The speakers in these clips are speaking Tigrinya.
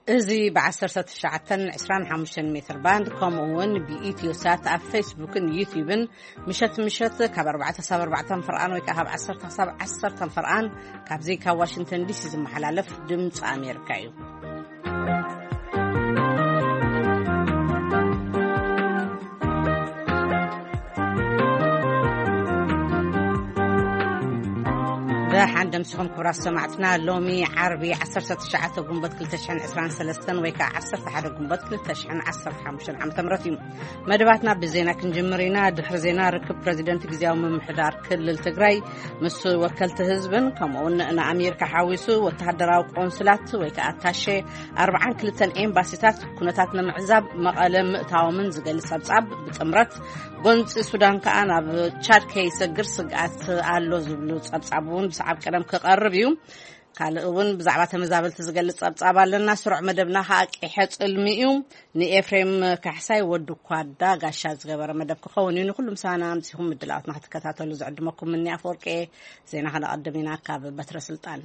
እዚ ብ19 25 ሜትር ባንድ፣ ከምኡ እውን ብኢትዮ ሳት ኣብ ፌስቡክን ዩቲዩብን ምሸት ምሸት ካብ ኣርባዕተ ክሳብ ኣርባዕተ ፍርቓን ወይ ከዓ ካብ ዓሰርተ ክሳብ ዓሰርተ ፍርቓን ካብዚ ካብ ዋሽንግተን ዲሲ ዝመሓላለፍ ድምፂ ኣሜሪካ እዩ። ብሓንደ ምስኹም ክቡራት ሰማዕትና፣ ሎሚ ዓርቢ ዓሰርተ ትሽዓተ ጉንበት ክልተ ሽሕን ዕስራን ሰለስተን ወይ ከዓ ዓሰርተ ሓደ ጉንበት ክልተ ሽሕን ዓሰርተ ሓሙሽተን ዓመተ ምህረት እዩ። መደባትና ብዜና ክንጅምር ኢና። ድሕሪ ዜና፣ ርክብ ፕረዚደንት ግዜያዊ ምምሕዳር ክልል ትግራይ ምስ ወከልቲ ህዝብን ከምኡውን ንኣሜሪካ ሓዊሱ ወተሃደራዊ ቆንስላት ወይ ከዓ ኣታሼ ኣርባዓን ክልተን ኤምባሲታት ኩነታት ንምዕዛብ መቐለ ምእታዎምን ዝገልጽ ጸብጻብ ብጥምረት፣ ጎንፂ ሱዳን ከዓ ናብ ቻድ ከይሰግር ስግኣት ኣሎ ዝብሉ ጸብጻብ እውን ብሰዓብ ቀደም ክቐርብ እዩ። ካልእ እውን ብዛዕባ ተመዛበልቲ ዝገልጽ ጸብጻብ ኣለና። ስሩዕ መደብና ከዓ ቂሐ ጽልሚ እዩ። ንኤፍሬም ካሕሳይ ወዲ ኳዳ ጋሻ ዝገበረ መደብ ክኸውን እዩ። ንኩሉ ምሳና ኣምጺኹም ምድላዋትና ክትከታተሉ ዝዕድመኩም ምኒ ኣፈወርቂ። ዜና ከነቐድም ኢና ካብ በትረ ስልጣን።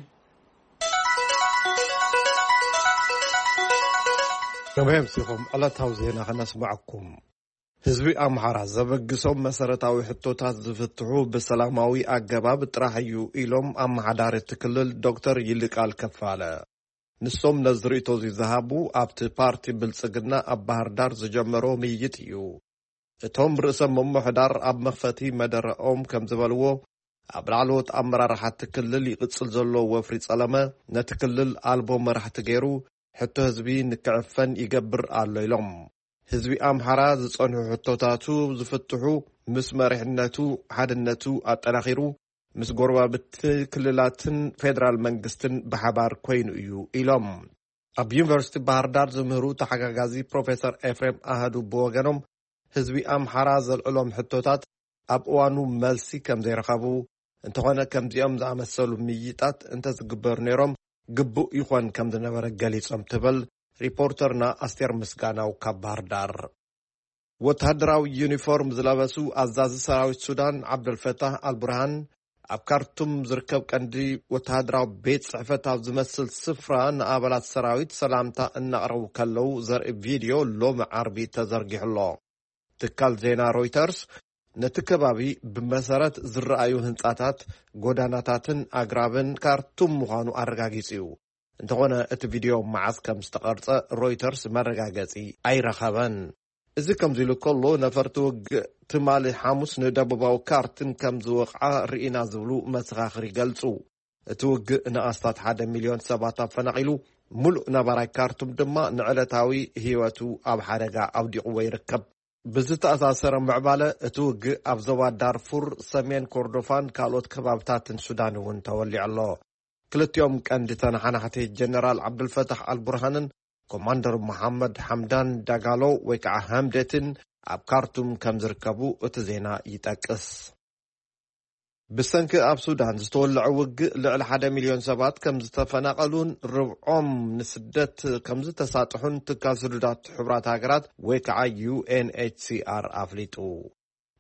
ከመይ ኣምሲኹም? ዕለታዊ ዜና ከነስምዐኩም። ህዝቢ ኣምሓራ ዘበግሶም መሰረታዊ ሕቶታት ዝፍትሑ ብሰላማዊ ኣገባብ ጥራሕ እዩ ኢሎም ኣመሓዳሪ እቲ ክልል ዶክተር ይልቃል ከፋለ። ንሶም ነዚ ርእይቶ እዚ ዝሃቡ ኣብቲ ፓርቲ ብልጽግና ኣብ ባህር ዳር ዝጀመሮ ምይይጥ እዩ። እቶም ርእሰ ምምሕዳር ኣብ መኽፈቲ መደረኦም ከም ዝበልዎ፣ ኣብ ላዕለዎት ኣመራርሓ እቲ ክልል ይቕጽል ዘሎ ወፍሪ ጸለመ ነቲ ክልል ኣልቦ መራሕቲ ገይሩ ሕቶ ህዝቢ ንክዕፈን ይገብር ኣሎ ኢሎም። ህዝቢ ኣምሓራ ዝጸንሑ ሕቶታቱ ዝፍትሑ ምስ መሪሕነቱ ሓድነቱ ኣጠናኺሩ ምስ ጎረባብቲ ክልላትን ፌደራል መንግስትን ብሓባር ኮይኑ እዩ ኢሎም። ኣብ ዩኒቨርሲቲ ባህር ዳር ዝምህሩ ተሓጋጋዚ ፕሮፌሰር ኤፍሬም ኣህዱ ብወገኖም፣ ህዝቢ ኣምሓራ ዘልዕሎም ሕቶታት ኣብ እዋኑ መልሲ ከም ዘይረኸቡ፣ እንተኾነ ከምዚኦም ዝኣመሰሉ ምይይጣት እንተዝግበሩ ነይሮም ግቡእ ይኾን ከም ዝነበረ ገሊጾም ትብል ሪፖርተርና ኣስቴር ምስጋናው ካብ ባህር ዳር። ወተሃደራዊ ዩኒፎርም ዝለበሱ ኣዛዚ ሰራዊት ሱዳን ዓብደልፈታህ ኣልቡርሃን ኣብ ካርቱም ዝርከብ ቀንዲ ወተሃደራዊ ቤት ጽሕፈት ኣብ ዝመስል ስፍራ ንኣባላት ሰራዊት ሰላምታ እናቕረቡ ከለዉ ዘርኢ ቪድዮ ሎሚ ዓርቢ ተዘርጊሑ ኣሎ። ትካል ዜና ሮይተርስ ነቲ ከባቢ ብመሰረት ዝረኣዩ ህንጻታት፣ ጎዳናታትን ኣግራብን ካርቱም ምዃኑ ኣረጋጊጹ እዩ። እንተኾነ እቲ ቪድዮ መዓስ ከም ዝተቐርጸ ሮይተርስ መረጋገጺ ኣይረኸበን። እዚ ከምዚ ኢሉ ከሎ፣ ነፈርቲ ውግእ ትማሊ ሓሙስ ንደቡባዊ ካርቱም ከም ዝወቕዓ ርኢና ዝብሉ መሰኻኽር ይገልጹ። እቲ ውግእ ንኣስታት ሓደ ሚልዮን ሰባት ኣፈናቒሉ፣ ምሉእ ነባራይ ካርቱም ድማ ንዕለታዊ ህይወቱ ኣብ ሓደጋ ኣውዲቕዎ ይርከብ። ብዝተኣሳሰረ ምዕባለ፣ እቲ ውግእ ኣብ ዞባ ዳርፉር፣ ሰሜን ኮርዶፋን ካልኦት ከባብታትን ሱዳን እውን ተወሊዑ ኣሎ። ክልቲኦም ቀንዲ ተነሓናሕቲ ጀነራል ዓብዱልፈታሕ ኣልቡርሃንን ኮማንደር መሓመድ ሓምዳን ዳጋሎ ወይ ከዓ ሃምደትን ኣብ ካርቱም ከም ዝርከቡ እቲ ዜና ይጠቅስ። ብሰንኪ ኣብ ሱዳን ዝተወለዐ ውግእ ልዕሊ ሓደ ሚልዮን ሰባት ከም ዝተፈናቐሉን ርብዖም ንስደት ከም ዝተሳጥሑን ትካል ስዱዳት ሕቡራት ሃገራት ወይ ከዓ ዩ ኤን ኤች ሲ ኣር ኣፍሊጡ።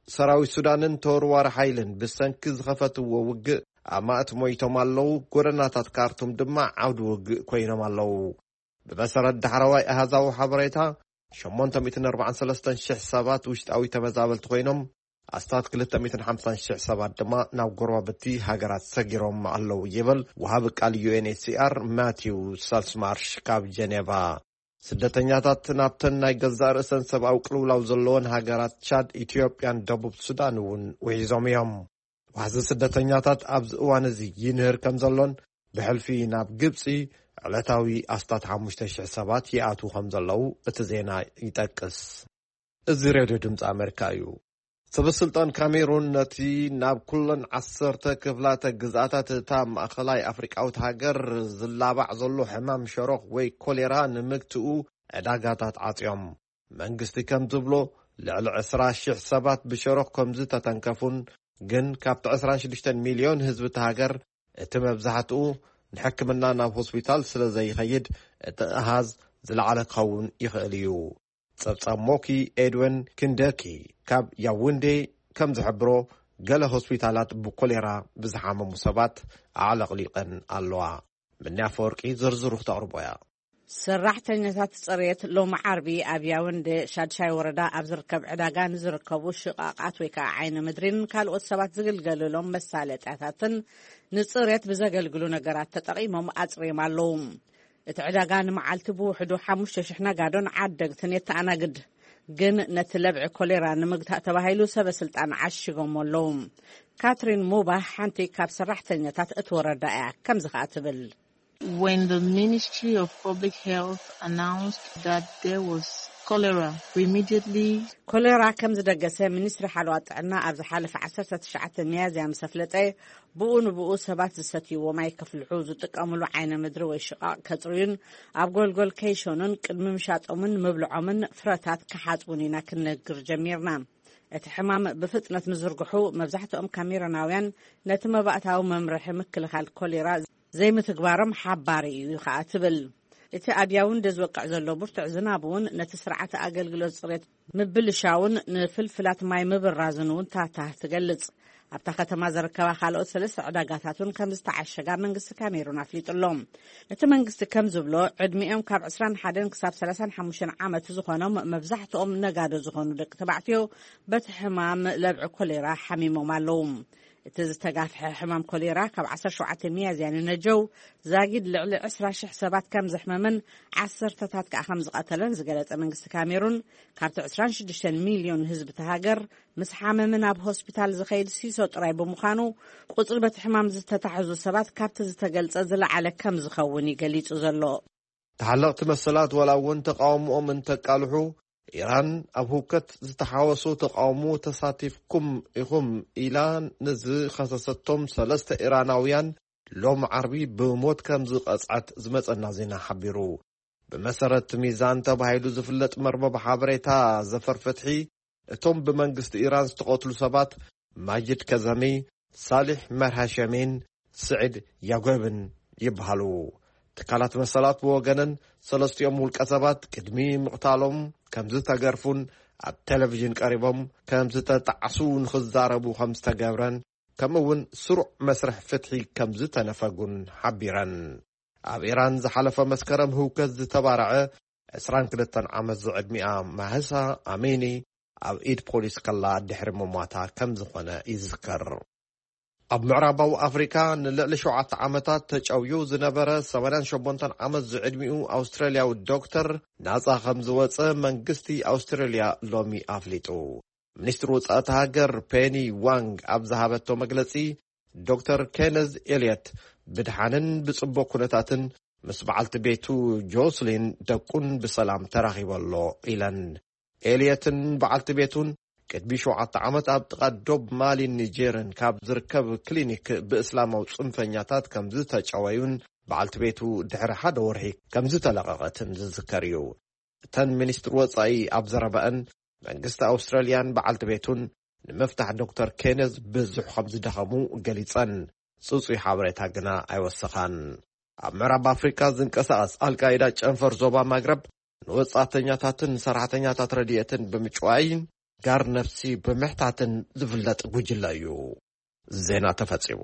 ሰራዊት ሱዳንን ተወርዋሪ ሓይልን ብሰንኪ ዝኸፈትዎ ውግእ ኣማእት ሞይቶም ኣለዉ፣ ጎደናታት ካርቱም ድማ ዓውዲ ውግእ ኮይኖም ኣለዉ። ብመሰረት ዳሕረዋይ ኣሃዛዊ ሓበሬታ፣ ሸሞንተ ሚእትን ኣርባዓን ሰለስተን ሽሕ ሰባት ውሽጣዊ ተመዛበልቲ ኮይኖም፣ ኣስታት ክልተ ሚእትን ሓምሳን ሽሕ ሰባት ድማ ናብ ጎረባብቲ ሃገራት ሰጊሮም ኣለዉ ይብል ወሃቢ ቃል ዩ ኤን ኤች ሲ ኣር ማቲው ሳልስማርሽ ካብ ጀኔቫ። ስደተኛታት ናብተን ናይ ገዛእ ርእሰን ሰብኣዊ ቅልውላው ዘለወን ሃገራት ቻድ፣ ኢትዮጵያን ደቡብ ሱዳን እውን ውሒዞም እዮም። ዋሕዚ ስደተኛታት ኣብዚ እዋን እዚ ይንህር ከም ዘሎን ብሕልፊ ናብ ግብጺ ዕለታዊ ኣስታት ሓሙሽተ ሽሕ ሰባት ይኣትዉ ከም ዘለዉ እቲ ዜና ይጠቅስ። እዚ ሬድዮ ድምፂ ኣሜሪካ እዩ። ሰበስልጣን ካሜሩን ነቲ ናብ ኩለን ዓሰርተ ክፍላተ ግዝኣታት እታ ማእኸላይ ኣፍሪቃዊት ሃገር ዝላባዕ ዘሎ ሕማም ሸሮኽ ወይ ኮሌራ ንምግትኡ ዕዳጋታት ዓጽዮም። መንግስቲ ከም ዝብሎ፣ ልዕሊ ዕስራ ሽሕ ሰባት ብሸሮኽ ከም ዝተተንከፉን፣ ግን ካብቲ ዕስራን ሽዱሽተን ሚልዮን ህዝቢ እታ ሃገር እቲ መብዛሕትኡ ንሕክምና ናብ ሆስፒታል ስለ ዘይኸይድ፣ እቲ ኣሃዝ ዝለዓለ ክኸውን ይኽእል እዩ። ጸብጻብ ሞኪ ኤድወን ክንደኪ ካብ ያውንዴ ከም ዝሕብሮ፣ ገለ ሆስፒታላት ብኮሌራ ብዝሓመሙ ሰባት ኣዕለቕሊቐን ኣለዋ። ምንያ ኣፈወርቂ ዝርዝሩ ክተቕርቦ እያ። ሰራሕተኛታት ጽሬት ሎም ዓርቢ ኣብ ያውንዴ ሻድሻይ ወረዳ ኣብ ዝርከብ ዕዳጋ ንዝርከቡ ሽቓቓት ወይ ከዓ ዓይነ ምድሪን ካልኦት ሰባት ዝግልገልሎም መሳለጥያታትን ንጽሬት ብዘገልግሉ ነገራት ተጠቒሞም ኣጽርዮም ኣለዉ። እቲ ዕዳጋ ንመዓልቲ ብውሕዱ ሓሙሽተ ሽሕ ነጋዶን ዓደግትን የተኣናግድ። ግን ነቲ ለብዒ ኮሌራ ንምግታእ ተባሂሉ ሰበ ስልጣን ዓሺጎሞ ኣለዉ። ካትሪን ሙባህ ሓንቲ ካብ ሰራሕተኛታት እቲ ወረዳ እያ። ከምዚ ከኣ ትብል። When the Ministry of Public Health announced that there was cholera, we immediately ኮሌራ ከም ዝደገሰ ሚኒስትሪ ሓለዋ ጥዕና ኣብ ዝሓለፈ ዓሰርተ ትሽዓተ ሚያዝያ ምስ ኣፍለጠ፣ ብኡ ንብኡ ሰባት ዝሰትይዎ ማይ ከፍልሑ፣ ዝጥቀምሉ ዓይነ ምድሪ ወይ ሽቓቕ ከጽርዩን ኣብ ጎልጎል ከይሸኑን ቅድሚ ምሻጦምን ምብልዖምን ፍረታት ክሓጽቡን ኢና ክንነግር ጀሚርና። እቲ ሕማም ብፍጥነት ምዝርግሑ፣ መብዛሕትኦም ካሜሮናውያን ነቲ መባእታዊ መምርሒ ምክልኻል ኮሌራ ዘይምትግባሮም ሓባሪ እዩ ከኣ ትብል። እቲ ኣብ ያውንደ ዝወቅዕ ዘሎ ብርቱዕ ዝናብ እውን ነቲ ስርዓተ ኣገልግሎት ጽሬት ምብልሻውን ንፍልፍላት ማይ ምብራዝን እውን ታታ ትገልጽ። ኣብታ ከተማ ዝርከባ ካልኦት ሰለስተ ዕዳጋታት እውን ከም ዝተዓሸጋ መንግስቲ ካሜሩን ኣፍሊጡ ኣሎ። እቲ መንግስቲ ከም ዝብሎ፣ ዕድሚኦም ካብ ዕስራን ሓደን ክሳብ ሰላሳን ሓሙሽተን ዓመት ዝኾኖም፣ መብዛሕትኦም ነጋዶ ዝኾኑ ደቂ ተባዕትዮ በቲ ሕማም ለብዒ ኮሌራ ሓሚሞም ኣለዉ። እቲ ዝተጋፍሐ ሕማም ኮሌራ ካብ ዓሰርተ ሸውዓተ ሚያዝያ ንነጀው ዛጊድ ልዕሊ ዕስራ ሽሕ ሰባት ከም ዘሕመመን ዓሰርተታት ከኣ ከም ዝቐተለን ዝገለጸ መንግስቲ ካሜሩን፣ ካብቲ ዕስራን ሽዱሽተን ሚልዮን ህዝቢ እቲ ሃገር ምስ ሓመመ ናብ ሆስፒታል ዝኸይድ ሲሶ ጥራይ ብምዃኑ፣ ቁጽሪ በቲ ሕማም ዝተታሕዙ ሰባት ካብቲ ዝተገልጸ ዝለዓለ ከም ዝኸውን እዩ ገሊጹ ዘሎ። ተሓለቕቲ መሰላት ዋላ እውን ተቃውሞኦም እንተቃልሑ፣ ኢራን ኣብ ህውከት ዝተሓወሱ ተቃውሞ ተሳቲፍኩም ኢኹም ኢላ ንዝኸሰሰቶም ሰለስተ ኢራናውያን ሎም ዓርቢ ብሞት ከም ዝቐጽዐት ዝመጸና ዜና ሓቢሩ። ብመሰረት ሚዛን ተባሂሉ ዝፍለጥ መርበብ ሓበሬታ ዘፈር ፍትሒ፣ እቶም ብመንግስቲ ኢራን ዝተቐትሉ ሰባት ማጅድ ከዘሚ፣ ሳሊሕ መርሃሸሜን ስዒድ ያጎብን ይበሃሉ። ትካላት መሰላት ብወገነን፣ ሰለስቲኦም ውልቀ ሰባት ቅድሚ ምቕታሎም ከም ዝተገርፉን ኣብ ቴሌቪዥን ቀሪቦም ከም ዝተጣዕሱ ንኽዛረቡ ከም ዝተገብረን፣ ከምኡ እውን ስሩዕ መስርሕ ፍትሒ ከም ዝተነፈጉን ሓቢረን። ኣብ ኢራን ዝሓለፈ መስከረም ህውከት ዝተባረዐ ዕስራን ክልተን ዓመት ዝዕድሚኣ ማህሳ ኣሚኒ ኣብ ኢድ ፖሊስ ከላ ድሕሪ ምሟታ ከም ዝኾነ ይዝከር። ኣብ ምዕራባዊ ኣፍሪካ ንልዕሊ ሸውዓተ ዓመታት ተጨውዩ ዝነበረ ሰማንያን ሸሞንተን ዓመት ዝዕድሚኡ ኣውስትራልያዊ ዶክተር ናጻ ከም ዝወጸ መንግስቲ ኣውስትራልያ ሎሚ ኣፍሊጡ። ሚኒስትሪ ወጻኢ እታ ሃገር ፔኒ ዋንግ ኣብ ዝሃበቶ መግለጺ፣ ዶክተር ኬነዝ ኤልየት ብድሓንን ብጽቡቕ ኩነታትን ምስ በዓልቲ ቤቱ ጆስሊን ደቁን ብሰላም ተራኺቡ ኣሎ ኢለን። ኤልየትን በዓልቲ ቤቱን ቅድሚ ሸውዓተ ዓመት ኣብ ጥቓ ዶብ ማሊን ኒጀርን ካብ ዝርከብ ክሊኒክ ብእስላማዊ ጽንፈኛታት ከም ዝተጨወዩን በዓልቲ ቤቱ ድሕሪ ሓደ ወርሒ ከም ዝተለቐቐትን ዝዝከር እዩ። እተን ሚኒስትር ወጻኢ ኣብ ዘረባኣን፣ መንግስቲ ኣውስትራልያን በዓልቲ ቤቱን ንምፍታሕ ዶክተር ኬነዝ ብዙሕ ከም ዝደኸሙ ገሊጸን፣ ጽጹይ ሓበሬታ ግና ኣይወሰኻን። ኣብ ምዕራብ ኣፍሪካ ዝንቀሳቐስ ኣልቃይዳ ጨንፈር ዞባ ማግረብ ንወጻእተኛታትን ሰራሕተኛታት ረድኤትን ብምጭዋይን ጋር ነፍሲ ብምሕታትን ዝፍለጥ ጉጅለ እዩ። ዜና ተፈጺሙ።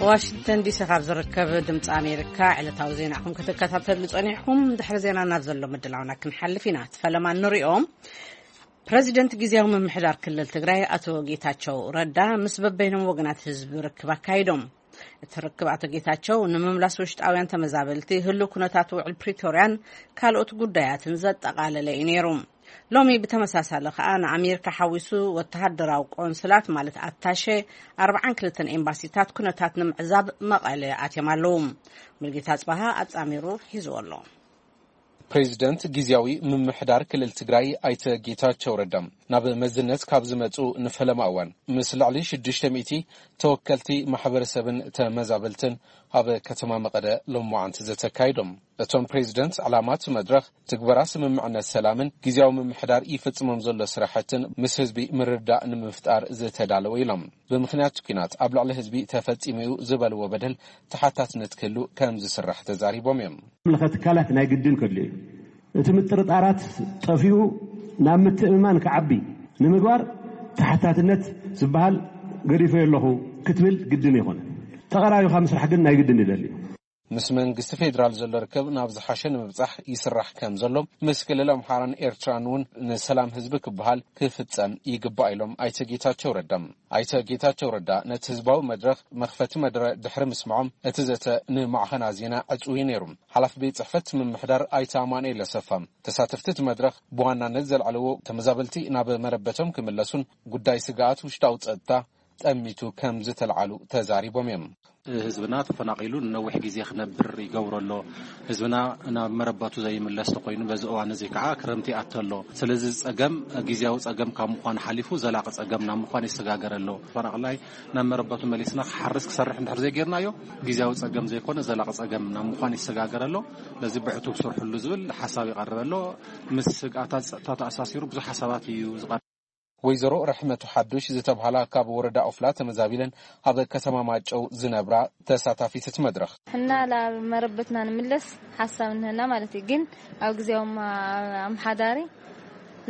ዋሽንግተን ዲሲ ካብ ዝርከብ ድምፂ ኣሜሪካ ዕለታዊ ዜናኹም ክትከታተሉ ጸኒሕኩም። ድሕሪ ዜና ናብ ዘሎ ምድላውና ክንሓልፍ ኢና። እቲ ፈለማ ንሪኦም። ፕረዚደንት ግዜያዊ ምምሕዳር ክልል ትግራይ ኣቶ ጌታቸው ረዳ ምስ በበይኖም ወገናት ህዝቢ ርክብ ኣካይዶም። እቲ ርክብ ኣቶ ጌታቸው ንምምላስ ውሽጣውያን ተመዛበልቲ፣ ህሉው ኩነታት ውዕል ፕሪቶርያን ካልኦት ጉዳያትን ዘጠቓለለ እዩ ነይሩ። ሎሚ ብተመሳሳሊ ከኣ ንኣሜሪካ ሓዊሱ ወተሃደራዊ ቆንስላት ማለት ኣታሸ ኣርባዓን ክልተን ኤምባሲታት ኩነታት ንምዕዛብ መቐለ ኣትዮም ኣለዉ። ሙልጌታ ጽባሃ ኣጻሚሩ ሒዝዎ ኣሎ። ፕሬዚደንት ግዜያዊ ምምሕዳር ክልል ትግራይ ኣይተ ጌታቸው ረዳ ናብ መዝነት ካብ ዝመጹ ንፈለማ እዋን ምስ ልዕሊ ሽዱሽተ ሚእቲ ተወከልቲ ማሕበረሰብን ተመዛበልትን ኣብ ከተማ መቐለ ሎማዓንቲ ዘተካይዶም። እቶም ፕሬዚደንት፣ ዕላማ እቲ መድረኽ ትግበራ ስምምዕነት ሰላምን ግዜያዊ ምምሕዳር ይፍጽሞም ዘሎ ስራሕትን ምስ ህዝቢ ምርዳእ ንምፍጣር ዝተዳለወ ኢሎም። ብምኽንያት ኲናት ኣብ ልዕሊ ህዝቢ ተፈጺሙ እዩ ዝበልዎ በደል ተሓታትነት ክህሉ ከም ዝስራሕ ተዛሪቦም እዮም። ምልኸ ትካላት ናይ ግድን ከድልዩ እዩ። እቲ ምጥርጣራት ጠፊኡ ናብ ምትእምማን ክዓቢ ንምግባር ተሓታትነት ዝበሃል ገዲፈ ኣለኹ ክትብል ግድን ይኾነ። ተቐራሪብካ ምስራሕ ግን ናይ ግድን ይደሊ እዩ። ምስ መንግስቲ ፌዴራል ዘሎ ርክብ ናብ ዝሓሸ ንምብጻሕ ይስራሕ ከም ዘሎ፣ ምስ ክልል ኣምሓራን ኤርትራን እውን ንሰላም ህዝቢ ክበሃል ክፍጸም ይግባእ ኢሎም ኣይተ ጌታቸው ረዳ። ኣይተ ጌታቸው ረዳ ነቲ ህዝባዊ መድረኽ መኽፈቲ መደረ ድሕሪ ምስምዖም፣ እቲ ዘተ ንማዕኸና ዜና ዕጹው እዩ ነይሩ። ሓላፊ ቤት ጽሕፈት ምምሕዳር ኣይተ ኣማኑኤል ኣሰፋ፣ ተሳተፍቲ እቲ መድረኽ ብዋናነት ዘልዓልዎ፣ ተመዛበልቲ ናብ መረበቶም ክምለሱን ጉዳይ ስግኣት ውሽጣዊ ጸጥታ ጠሚቱ ከም ዝተልዓሉ ተዛሪቦም እዮም። ህዝብና ተፈናቒሉ ንነዊሕ ግዜ ክነብር ይገብሮ ኣሎ። ህዝብና ናብ መረበቱ ዘይምለስ ተኮይኑ፣ በዚ እዋን እዚ ከዓ ክረምቲ ይኣቱ ኣሎ። ስለዚ ጸገም፣ ግዜያዊ ጸገም ካብ ምዃን ሓሊፉ ዘላቂ ጸገም ናብ ምዃን ይሰጋገር ኣሎ። ተፈናቕላይ ናብ መረበቱ መሊስና ክሓርስ ክሰርሕ እንድሕር ዘይጌርናዮ፣ ግዜያዊ ጸገም ዘይኮነ ዘላቂ ጸገም ናብ ምዃን ይሰጋገር ኣሎ። ስለዚ ብዕቱብ ስርሕሉ ዝብል ሓሳብ ይቐርብ ኣሎ። ምስ ስግኣታት ጸጥታ ተኣሳሲሩ ብዙሕ ሓሳባት እዩ ዝቐርብ። ወይዘሮ ረሕመቱ ሓዱሽ ዝተብሃላ ካብ ወረዳ ኦፍላ ተመዛቢለን ኣብ ከተማ ማጨው ዝነብራ ተሳታፊት እቲ መድረኽ። ሕና ላብ መረበትና ንምለስ ሓሳብ እንህና ማለት እዩ። ግን ኣብ ግዜያዊ ኣምሓዳሪ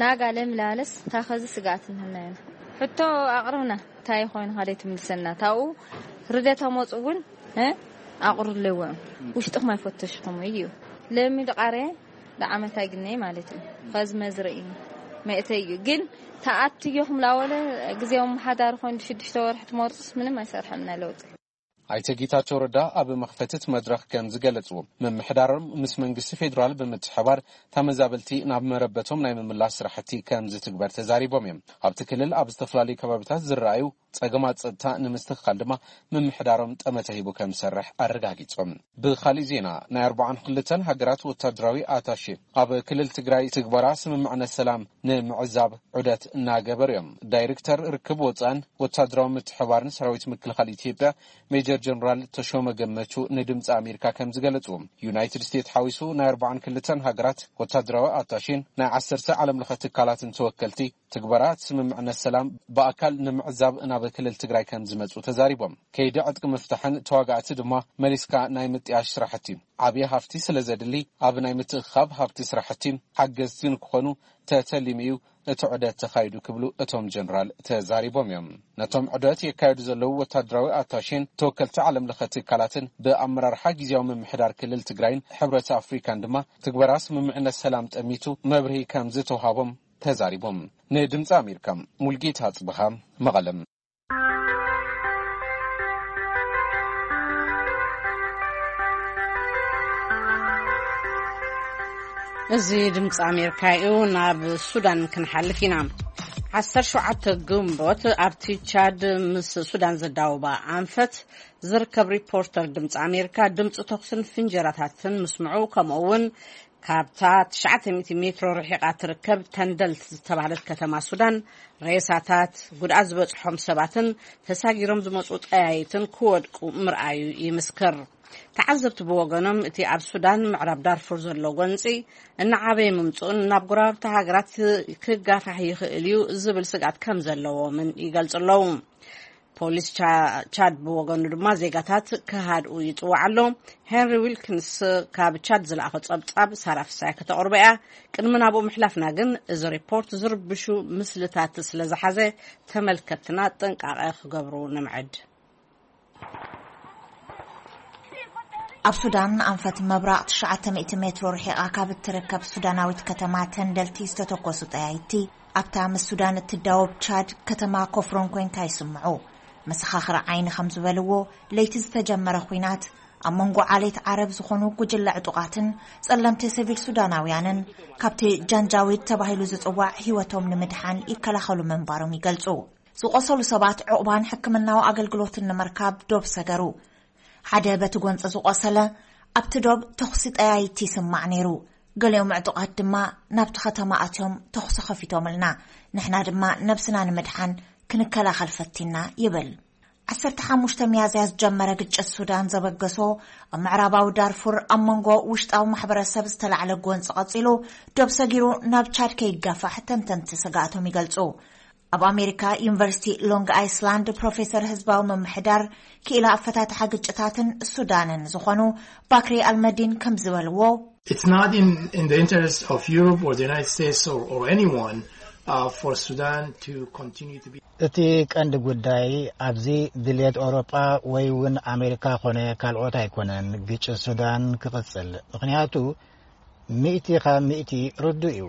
ናጋ ለምላለስ ታኸዚ ስግኣት እንህና ኢና። ሕቶ ኣቕርብና፣ እንታይ ኮይኑ ካደይ ትምልሰና? ታኡ ርደት ኣመፁ እውን፣ እ፣ ኣቕርብለዎም። ውሽጥኹም ኣይፈተሽኹም እዩ። ለሚ ድቃሬ ደዓመት ኣይግነይ ማለት እዩ። ኸዚ መዝርኢ መእተይ እዩ። ግን ተኣትዮኹም ላወለ ግዜያዊ ኣመሓዳሪ ኮይኑ ሽዱሽተ ወርሒ ትመርጹስ ምንም ኣይሰርሐልና ለውጢ። ኣይተ ጌታቸው ረዳ ኣብ መኽፈትት መድረኽ ከም ዝገለጽዎ፣ ምምሕዳሮም ምስ መንግስቲ ፌዴራል ብምትሕባር ተመዛበልቲ ናብ መረበቶም ናይ ምምላስ ስራሕቲ ከም ዝትግበር ተዛሪቦም እዮም። ኣብቲ ክልል ኣብ ዝተፈላለዩ ከባቢታት ዝረኣዩ ጸገማት ጸጥታ ንምስትኽኻል ድማ ምምሕዳሮም ጠመተ ሂቡ ከም ዝሰርሕ ኣረጋጊጾም። ብኻሊእ ዜና፣ ናይ ኣርባዓን ክልተን ሃገራት ወታደራዊ ኣታሼ ኣብ ክልል ትግራይ ትግበራ ስምምዕነት ሰላም ንምዕዛብ ዑደት እናገበሩ እዮም። ዳይሬክተር ርክብ ወጻእን ወታደራዊ ምትሕባርን ሰራዊት ምክልኻል ኢትዮጵያ ሜጀር ጀነራል ተሾመ ገመቹ ንድምፂ ኣሜሪካ ከም ዝገለጹ፣ ዩናይትድ ስቴትስ ሓዊሱ ናይ ኣርባዓን ክልተን ሃገራት ወታደራዊ ኣታሼን ናይ ዓሰርተ ዓለም ለኸ ትካላትን ተወከልቲ ትግበራ ስምምዕነት ሰላም ብኣካል ንምዕዛብ ናብ ክልል ትግራይ ከም ዝመጹ ተዛሪቦም። ከይዲ ዕጥቂ ምፍታሕን ተዋጋእቲ ድማ መሊስካ ናይ ምጥያሽ ስራሕቲ ዓብዪ ሃፍቲ ስለ ዘድሊ፣ ኣብ ናይ ምትእኻብ ሃፍቲ ስራሕቲ ሓገዝቲ ንክኾኑ ተተሊሙ እዩ እቲ ዑደት ተኻይዱ ክብሉ እቶም ጀነራል ተዛሪቦም እዮም። ነቶም ዑደት የካየዱ ዘለዉ ወታደራዊ ኣታሼን ተወከልቲ ዓለም ለኸ ትካላትን ብኣመራርሓ ግዜያዊ ምምሕዳር ክልል ትግራይን ሕብረት ኣፍሪካን ድማ ትግበራ ስምምዕነት ሰላም ጠሚቱ መብርሂ ከም ዝተውሃቦም ተዛሪቦም። ንድምፂ ኣሜሪካ ሙልጌታ ኣፅብሃ፣ መቐለም። እዚ ድምፂ ኣሜሪካ እዩ። ናብ ሱዳን ክንሓልፍ ኢና። ዓሰርተ ሸውዓተ ግንቦት ኣብቲ ቻድ ምስ ሱዳን ዘዳውባ ኣንፈት ዝርከብ ሪፖርተር ድምፂ ኣሜሪካ ድምፂ ተኹስን ፍንጀራታትን ምስምዑ፣ ከምኡ እውን ካብታ ትሽዓተ ሚእቲ ሜትሮ ርሒቓ ትርከብ ተንደልት ዝተባህለት ከተማ ሱዳን ሬሳታት፣ ጉድኣት ዝበፅሖም ሰባትን ተሳጊሮም ዝመፁ ጠያይትን ክወድቁ ምርኣዩ ይምስክር። ተዓዘብቲ ብወገኖም፣ እቲ ኣብ ሱዳን ምዕራብ ዳርፉር ዘሎ ጎንፂ እናዓበየ ምምፅኡን ናብ ጎረባብቲ ሃገራት ክጋፋሕ ይኽእል እዩ ዝብል ስግኣት ከም ዘለዎምን ይገልፁ ኣለዉ። ፖሊስ ቻድ ብወገኑ ድማ ዜጋታት ክሃድኡ ይፅዋዕ ኣሎ። ሄንሪ ዊልኪንስ ካብ ቻድ ዝለኣኾ ፀብፃብ ሳራ ፍሳይ ከተቕርቦ እያ። ቅድሚ ናብኡ ምሕላፍና ግን፣ እዚ ሪፖርት ዝርብሹ ምስልታት ስለ ዝሓዘ፣ ተመልከትና ጥንቃቐ ክገብሩ ንምዕድ። ኣብ ሱዳን ኣንፈት ምብራቕ ትሽዓተ ሚእቲ ሜትሮ ርሒቓ ካብ እትርከብ ሱዳናዊት ከተማ ተንደልቲ ዝተተኮሱ ጠያይቲ፣ ኣብታ ምስ ሱዳን እትዳወብ ቻድ ከተማ ኮፍሮን ኮይንካ ይስምዑ። መሰኻኽሪ ዓይኒ ከም ዝበልዎ፣ ለይቲ ዝተጀመረ ኲናት ኣብ መንጎ ዓሌት ዓረብ ዝኾኑ ጉጅለ ዕጡቓትን ጸለምቲ ሲቪል ሱዳናውያንን ካብቲ ጃንጃዊድ ተባሂሉ ዝጽዋዕ ህይወቶም ንምድሓን ይከላኸሉ ምንባሮም ይገልጹ። ዝቖሰሉ ሰባት ዕቑባን ሕክምናዊ ኣገልግሎትን ንምርካብ ዶብ ሰገሩ። ሓደ በቲ ጎንፂ ዝቖሰለ ኣብቲ ዶብ ተኹሲ ጠያይቲ ይስማዕ ነይሩ። ገሊኦም ዕጡቓት ድማ ናብቲ ከተማ ኣትዮም ተኹሲ ከፊቶምልና። ንሕና ድማ ነብስና ንምድሓን ክንከላኸል ፈቲና ይብል። ዓሰርተ ሓሙሽተ ሚያዝያ ዝጀመረ ግጭት ሱዳን ዘበገሶ ኣብ ምዕራባዊ ዳርፉር ኣብ መንጎ ውሽጣዊ ማሕበረሰብ ዝተላዕለ ጎንፂ ቀፂሉ፣ ዶብ ሰጊሩ ናብ ቻድ ከይጋፋሕ ተንተንቲ ስግኣቶም ይገልፁ። ኣብ ኣሜሪካ ዩኒቨርሲቲ ሎንግ ኣይስላንድ ፕሮፌሰር ህዝባዊ ምምሕዳር፣ ክኢላ ኣፈታትሓ ግጭታትን ሱዳንን ዝኾኑ ባክሪ ኣልመዲን ከም ዝበልዎ፣ It's not in, in the interest of Europe or the United States or, or anyone uh, for Sudan to continue to be እቲ ቀንዲ ጉዳይ ኣብዚ ድልየት ኤውሮጳ ወይ እውን ኣሜሪካ ኮነ ካልኦት ኣይኮነን ግጭት ሱዳን ክቕጽል። ምኽንያቱ፣ ሚእቲ ካብ ሚእቲ ርዱእ እዩ።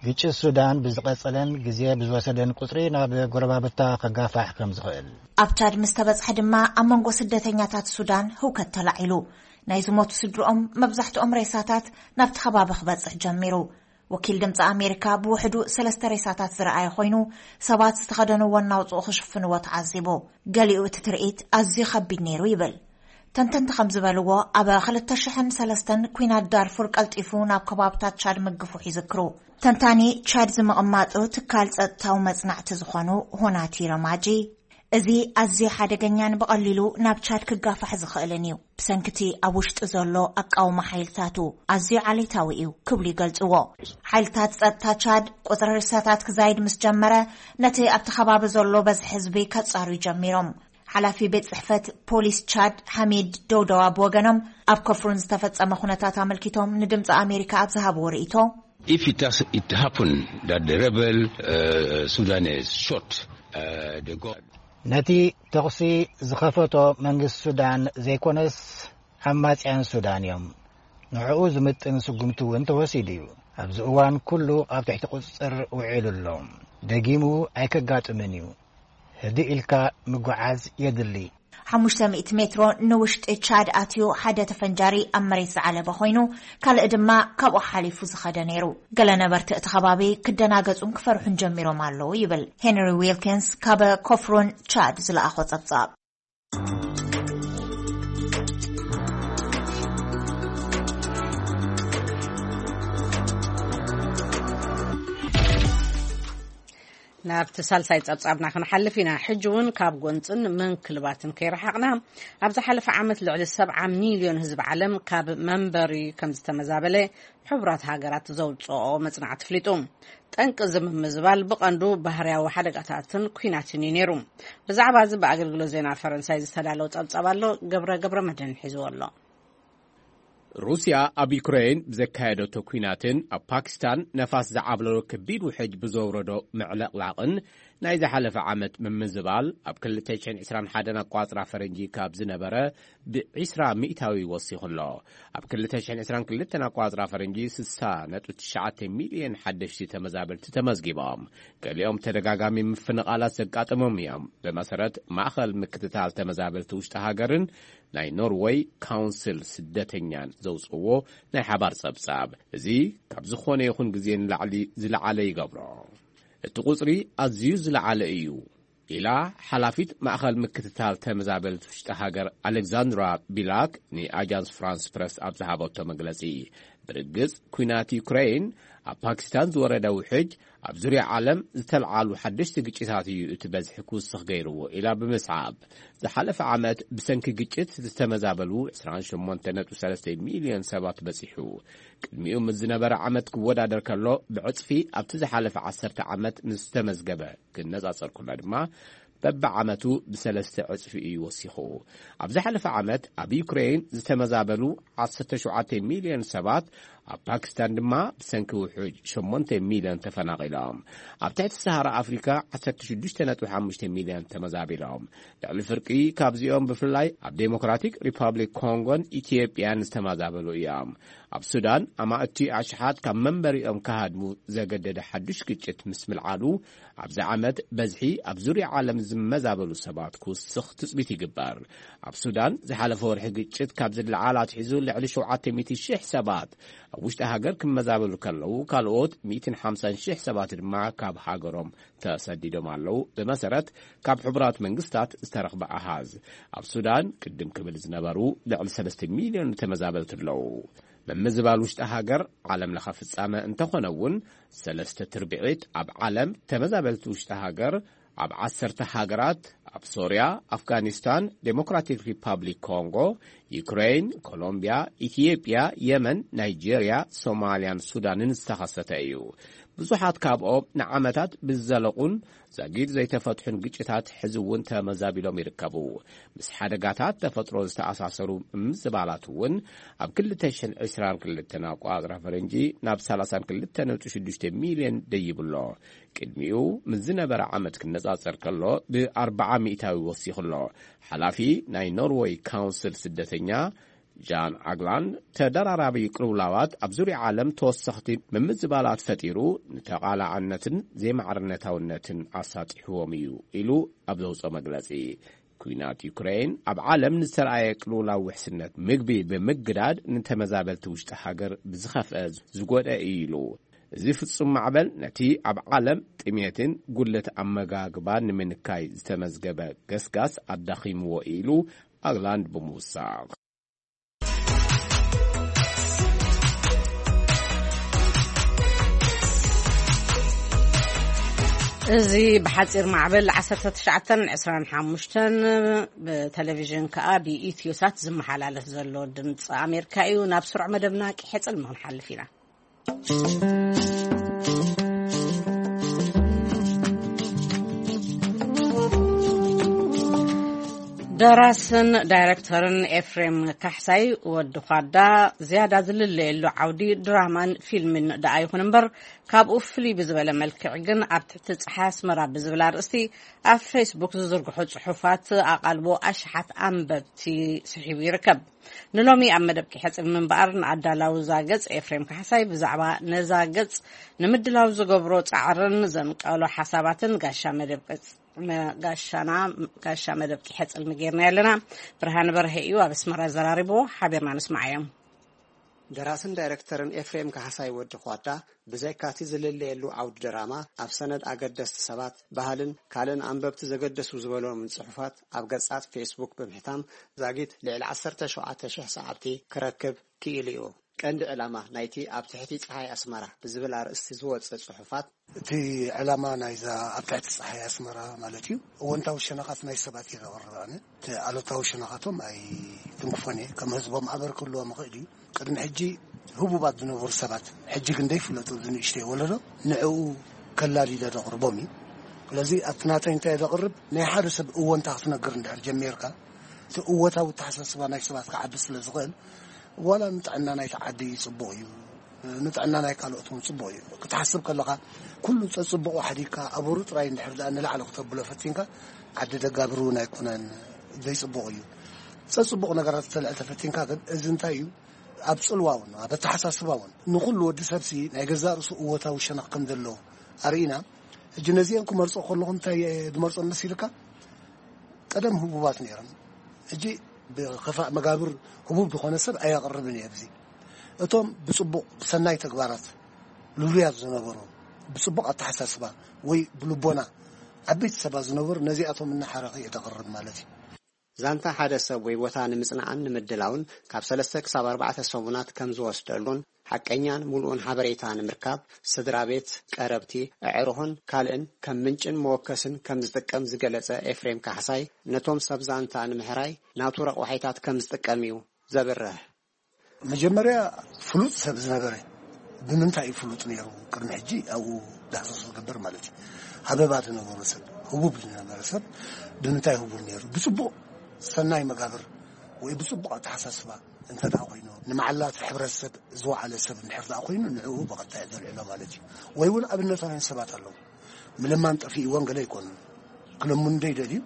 ግጭት ሱዳን ብዝቐጸለን ግዜ ብዝወሰደን ቁጽሪ ናብ ጎረባብታ ከጋፋሕ ከም ዝኽእል። ኣብ ቻድ ምስ ተበጽሐ ድማ ኣብ መንጎ ስደተኛታት ሱዳን ህውከት ተላዒሉ። ናይ ዝሞቱ ስድርኦም መብዛሕትኦም ሬሳታት ናብቲ ከባቢ ክበጽሕ ጀሚሩ። ወኪል ድምፂ ኣሜሪካ ብውሕዱ ሰለስተ ሬሳታት ዝረኣየ ኮይኑ፣ ሰባት ዝተኸደንዎ እናውፅኡ ክሽፍንዎ ተዓዚቡ። ገሊኡ እቲ ትርኢት ኣዝዩ ከቢድ ነይሩ ይብል። ተንተንቲ ከም ዝበልዎ፣ ኣብ ክልተ ሽሕን ሰለስተን ኲናት ዳርፉር ቀልጢፉ ናብ ከባብታት ቻድ ምግፉሕ ይዝክሩ። ተንታኒ፣ ቻድ ዝምቕማጡ ትካል ጸጥታዊ መጽናዕቲ ዝኾኑ ሆናቲ ረማጂ፣ እዚ ኣዝዩ ሓደገኛን ብቐሊሉ ናብ ቻድ ክጋፋሕ ዝኽእልን እዩ። ብሰንክቲ ኣብ ውሽጢ ዘሎ ኣቃውማ ሓይልታቱ ኣዝዩ ዓሌታዊ እዩ ክብሉ ይገልጽዎ። ሓይልታት ጸጥታ ቻድ ቁጽሪ ሬሳታት ክዛይድ ምስ ጀመረ፣ ነቲ ኣብቲ ከባቢ ዘሎ በዝሒ ህዝቢ ከጻርዩ ጀሚሮም። ሓላፊ ቤት ጽሕፈት ፖሊስ ቻድ ሓሚድ ደውደዋ ብወገኖም፣ ኣብ ኮፍሩን ዝተፈጸመ ኩነታት ኣመልኪቶም ንድምጺ ኣሜሪካ ኣብ ዝሃብዎ ርእይቶ፣ If it, has, it happened that the rebel uh, Sudanese shot uh, the gun. ነቲ ተኹሲ ዝኸፈቶ መንግስቲ ሱዳን ዘይኮነስ፣ ኣማጽያን ሱዳን እዮም። ንዕኡ ዝምጥን ስጉምቲ እውን ተወሲዱ እዩ። ኣብዚ እዋን ኩሉ ኣብ ትሕቲ ቁጽጽር ውዒሉ ኣሎ። ደጊሙ ኣይከጋጥምን እዩ። ህድእ ኢልካ ምጉዓዝ የድሊ። ሓሙሽተ ሚእቲ ሜትሮ ንውሽጢ ቻድ ኣትዩ ሓደ ተፈንጃሪ ኣብ መሬት ዝዓለበ ኮይኑ፣ ካልእ ድማ ካብኡ ሓሊፉ ዝኸደ ነይሩ። ገለ ነበርቲ እቲ ከባቢ ክደናገጹን ክፈርሑን ጀሚሮም ኣለዉ ይብል ሄንሪ ዊልኪንስ ካብ ኮፍሮን ቻድ ዝለኣኾ ጸብጻብ። ናብቲ ሳልሳይ ጸብጻብና ክንሓልፍ ኢና። ሕጂ እውን ካብ ጎንጽን ምንክልባትን ከይረሓቕና፣ ኣብ ዝሓለፈ ዓመት ልዕሊ ሰብዓ ሚልዮን ህዝቢ ዓለም ካብ መንበሪ ከም ዝተመዛበለ ሕቡራት ሃገራት ዘውጽኦ መጽናዕቲ ኣፍሊጡ። ጠንቂ እዚ ምምዝባል ብቐንዱ ባህርያዊ ሓደጋታትን ኲናትን እዩ ነይሩ። ብዛዕባ እዚ ብኣገልግሎት ዜና ፈረንሳይ ዝተዳለወ ጸብጻብ ኣሎ፣ ገብረ ገብረ መድህን ሒዝዎ ኣሎ። ሩስያ ኣብ ዩክሬን ብዘካየደቶ ኲናትን ኣብ ፓኪስታን ነፋስ ዝዓብለሎ ከቢድ ውሕጅ ብዘውረዶ ምዕልቕላቕን ናይ ዝሓለፈ ዓመት ምምዝባል፣ ኣብ ክልተ ሽሕን ዕስራን ሓደን ኣቋጽራ ፈረንጂ ካብ ዝነበረ ብዒስራ ሚእታዊ ወሲኹ ኣሎ። ኣብ ክልተ ሽሕን ዕስራን ክልተን ኣቋጽራ ፈረንጂ ስሳ ነጥቢ ትሽዓተ ሚልዮን ሓደሽቲ ተመዛበልቲ ተመዝጊቦም። ገሊኦም ተደጋጋሚ ምፍንቓላት ዘጋጠሞም እዮም። ብመሰረት ማእኸል ምክትታል ተመዛበልቲ ውሽጢ ሃገርን ናይ ኖርወይ ካውንስል ስደተኛን ዘውፅዎ ናይ ሓባር ጸብጻብ፣ እዚ ካብ ዝኾነ ይኹን ግዜ ንላዕሊ ዝለዓለ ይገብሮ። እቲ ቁጽሪ ኣዝዩ ዝለዓለ እዩ ኢላ ሓላፊት ማእኸል ምክትታል ተመዛበልቲ ውሽጢ ሃገር ኣሌክዛንድራ ቢላክ ንኣጃንስ ፍራንስ ፕረስ ኣብ ዝሃበቶ መግለጺ። ብርግጽ፣ ኲናት ዩክሬን፣ ኣብ ፓኪስታን ዝወረደ ውሕጅ፣ ኣብ ዙርያ ዓለም ዝተልዓሉ ሓደሽቲ ግጭታት እዩ እቲ በዝሒ ክውስኽ ገይርዎ ኢላ ብምስዓብ፣ ዝሓለፈ ዓመት ብሰንኪ ግጭት ዝተመዛበሉ ዕስራን ሸሞንተን ነጥቢ ሰለስተ ሚልዮን ሰባት በጺሑ። ቅድሚኡ ምስ ዝነበረ ዓመት ክወዳደር ከሎ፣ ብዕጽፊ ኣብቲ ዝሓለፈ ዓሰርተ ዓመት ምስ ዝተመዝገበ ክነጻጸር ከሎ ድማ፣ በብዓመቱ ብሰለስተ ዕጽፊ እዩ ወሲኹ። ኣብ ዝሓለፈ ዓመት ኣብ ዩክሬን ዝተመዛበሉ ዓሰርተ ሸውዓተ ሚልዮን ሰባት፣ ኣብ ፓኪስታን ድማ ብሰንኪ ውሑጅ ሸሞንተ ሚልዮን ተፈናቒሎም። ኣብ ትሕቲ ሰሃራ ኣፍሪካ ዓሰርተ ሽዱሽተ ነጥቢ ሓሙሽተ ሚልዮን ተመዛቢሎም። ልዕሊ ፍርቂ ካብዚኦም ብፍላይ ኣብ ዴሞክራቲክ ሪፓብሊክ ኮንጎን ኢትዮጵያን ዝተመዛበሉ እዮም። ኣብ ሱዳን ኣማእቲ ኣሽሓት ካብ መንበሪኦም ክሃድሙ ዘገደደ ሓዱሽ ግጭት ምስ ምልዓሉ፣ ኣብዚ ዓመት በዝሒ ኣብ ዙርያ ዓለም ዝመዛበሉ ሰባት ክውስኽ ትጽቢት ይግበር። ኣብ ሱዳን ዝሓለፈ ወርሒ ግጭት ካብ ዝለዓል ኣትሒዙ ልዕሊ ሸውዓተ ሚእቲ ሽሕ ሰባት ኣብ ውሽጢ ሃገር ክመዛበሉ ከለዉ፣ ካልኦት ሚእትን ሓምሳን ሽሕ ሰባት ድማ ካብ ሃገሮም ተሰዲዶም ኣለዉ። ብመሰረት ካብ ሕቡራት መንግስታት ዝተረኽበ ኣሃዝ፣ ኣብ ሱዳን ቅድም ክብል ዝነበሩ ልዕሊ ሰለስተ ሚልዮን ተመዛበልቲ ኣለዉ። ምምዝባል ውሽጢ ሃገር ዓለም ለኸ ፍጻመ እንተኾነ እውን፣ ሰለስተ ትርብዒት ኣብ ዓለም ተመዛበልቲ ውሽጢ ሃገር ኣብ ዓሰርተ ሃገራት ኣብ ሶርያ፣ ኣፍጋኒስታን፣ ዴሞክራቲክ ሪፓብሊክ ኮንጎ፣ ዩክሬን፣ ኮሎምቢያ፣ ኢትዮጵያ፣ የመን፣ ናይጄርያ፣ ሶማልያን ሱዳንን ዝተኸሰተ እዩ። ብዙሓት ካብኦም ንዓመታት ብዝዘለቑን ዛጊድ ዘይተፈትሑን ግጭታት ሕዚ እውን ተመዛቢሎም ይርከቡ። ምስ ሓደጋታት ተፈጥሮ ዝተኣሳሰሩ ምምዝባላት እውን ኣብ ክልተ ሽሕን ዕስራን ክልተን ኣቋጽራ ፈረንጂ ናብ ሰላሳን ክልተ ነጥቢ ሽዱሽተ ሚልዮን ደይብሎ። ቅድሚኡ ምስ ዝነበረ ዓመት ክነጻጸር ከሎ ብኣርብዓ ሚእታዊ ወሲኹ ኣሎ። ሓላፊ ናይ ኖርወይ ካውንስል ስደተኛ ጃን ኣግላንድ፣ ተደራራቢ ቅልውላዋት ኣብ ዙርያ ዓለም ተወሰኽቲ ምምዝባላት ፈጢሩ፣ ንተቓላዕነትን ዘይማዕርነታውነትን ኣሳጢሕዎም እዩ ኢሉ ኣብ ዘውፅኦ መግለፂ። ኲናት ዩክሬን ኣብ ዓለም ንዝተረኣየ ቅልውላው ውሕስነት ምግቢ ብምግዳድ፣ ንተመዛበልቲ ውሽጢ ሃገር ብዝኸፍአ ዝጎድአ እዩ ኢሉ። እዚ ፍጹም ማዕበል ነቲ ኣብ ዓለም ጥሜትን ጉድለት ኣመጋግባን ንምንካይ ዝተመዝገበ ገስጋስ ኣዳኺምዎ ኢሉ ኣግላንድ ብምውሳኽ። እዚ ብሓጺር ማዕበል ዓሰርተ ትሽዓተን ዕስራን ሓሙሽተን ብቴሌቪዥን ከኣ ብኢትዮሳት ዝመሓላለፍ ዘሎ ድምፂ ኣሜሪካ እዩ። ናብ ስሩዕ መደብና ቂሐ ጽልሚ ክንሓልፍ ኢና። ደራስን ዳይረክተርን ኤፍሬም ካሕሳይ ወዲ ኳዳ ዝያዳ ዝልለየሉ ዓውዲ ድራማን ፊልምን ደኣ ይኹን እምበር፣ ካብኡ ፍልይ ብዝበለ መልክዕ ግን ኣብ ትሕቲ ጸሓይ ኣስመራ ብዝብል ኣርእስቲ ኣብ ፌስቡክ ዝዝርግሑ ጽሑፋት ኣቓልቦ ኣሽሓት ኣንበብቲ ስሒቡ ይርከብ። ንሎሚ ኣብ መደብ ቂሐ ጽልሚ እምበኣር ንኣዳላዊ እዛ ገጽ ኤፍሬም ካሕሳይ ብዛዕባ ነዛ ገጽ ንምድላው ዝገብሮ ጻዕርን ዘንቀሎ ሓሳባትን ጋሻ መደብ ቅጽ-፣ መ-፣ ጋሻና፣ ጋሻ መደብ ቂሐ ጽልሚ ጌርና ኣለና። ብርሃን በርሀ እዩ ኣብ ኣስመራ ዘራሪቦ። ሓቢርና ንስማዓዮም። ደራስን ዳይረክተርን ኤፍሬም ካሕሳይ ወዲ ኳዳ፣ ብዘይካቲ ዝልለየሉ ዓውዲ ድራማ፣ ኣብ ሰነድ ኣገደስቲ ሰባት፣ ባህልን ካልእን ኣንበብቲ ዘገደሱ ዝበሎምን ጽሑፋት ኣብ ገጻት ፌስቡክ ብምሕታም፣ ዛጊት ልዕሊ ዓሰርተ ሸውዓተ ሽሕ ሰዓብቲ ክረክብ ክኢሉ እዩ። ቀንዲ ዕላማ ናይቲ ኣብ ትሕቲ ጸሓይ ኣስመራ ብዝብል ኣርእስቲ ዝወጸ ጽሑፋት፣ እቲ ዕላማ ናይዛ ኣብ ትሕቲ ጸሓይ ኣስመራ ማለት እዩ፣ እወንታዊ ሸነኻት ናይ ሰባት እየ ዘቕርብ ኣነ። እቲ ኣሉታዊ ሸነኻቶም ኣይትንክፎን እየ። ከም ህዝቦም ኣበር ክህልዎም ይኽእል እዩ። ቅድሚ ሕጂ ህቡባት ዝነበሩ ሰባት፣ ሕጂ ግን ዘይፍለጡ፣ እዚ ንእሽተይ ወለዶ፣ ንዕኡ ከላሊለ ዘቕርቦም እዩ። ስለዚ ኣብቲ ናተይ እንታይ ዘቕርብ፣ ናይ ሓደ ሰብ እወንታ ክትነግር እንድሕር ጀሚርካ፣ እቲ እወታዊ ኣተሓሳስባ ናይ ሰባት ክዓቢ ስለ ዝኽእል፣ ዋላ ንጥዕና ናይቲ ዓዲ ጽቡቕ እዩ፣ ንጥዕና ናይ ካልኦት እውን ጽቡቕ እዩ። ክትሓስብ ከለኻ፣ ኩሉ ጸጽቡቑ ሓዲግካ፣ ኣበሩ ጥራይ እንድሕር ደኣ ንላዕሊ ክተብሎ ፈቲንካ፣ ዓዲ ደጋብር እውን ኣይኮነን፣ ዘይጽቡቕ እዩ። ጸጽቡቕ ነገራት ተልዕል ተፈቲንካ ግን፣ እዚ እንታይ እዩ? ኣብ ጽልዋ እውን፣ ኣብ ኣተሓሳስባ እውን፣ ንኹሉ ወዲ ሰብሲ ናይ ገዛእ ርእሱ እወታዊ ሸነኽ ከም ዘለዎ ኣርኢና። ሕጂ ነዚኦም ክመርጾ ከለኹ እንታይ እየ ዝመርጾም መሲልካ? ቀደም ህቡባት ነይሮም። ሕጂ ብኸፋእ መጋብር ህቡብ ዝኾነ ሰብ ኣየቕርብን እየ ኣብዚ። እቶም ብጽቡቕ፣ ብሰናይ ተግባራት ልሉያት ዝነበሩ፣ ብጽቡቕ ኣተሓሳስባ ወይ ብልቦና ዓበይቲ ሰባት ዝነበሩ፣ ነዚኣቶም እናሓረኸ እየ ዘቕርብ ማለት እዩ። ዛንታ ሓደ ሰብ ወይ ቦታ ንምጽናዕን ንምድላውን ካብ ሰለስተ ክሳብ ኣርባዕተ ሰሙናት ከም ዝወስደሉን፣ ሓቀኛን ምሉእን ሓበሬታ ንምርካብ፣ ስድራ ቤት፣ ቀረብቲ፣ ኣዕሩኽን ካልእን ከም ምንጭን መወከስን ከም ዝጥቀም ዝገለጸ ኤፍሬም ካሕሳይ፣ ነቶም ሰብ ዛንታ ንምሕራይ ናቱ ረቑሒታት ከም ዝጥቀም እዩ ዘብርህ። መጀመርያ ፍሉጥ ሰብ ዝነበረ፣ ብምንታይ እዩ ፍሉጥ ነይሩ? ቅድሚ ሕጂ ኣብኡ ዳህሳስ ዝግበር ማለት እዩ። ሃበባ ዝነበሮ ሰብ፣ ህቡብ ዝነበረ ሰብ ብምንታይ ህቡብ ነይሩ? ብጽቡቕ ሰናይ መጋብር ወይ ብጽቡቕ ኣተሓሳስባ እንተ ደኣ ኮይኑ፣ ንመዓላት ሕብረተሰብ ዝወዓለ ሰብ እንድሕር ደኣ ኮይኑ፣ ንዕኡ ብቐጥታ እየ ዘልዕሎ ማለት እዩ። ወይ እውን ኣብነታውያን ሰባት ኣለዉ። ምልማን ጠፊእዎን ገለ ኣይኮኑን። ክልምኑ ዶ ይደልዩ?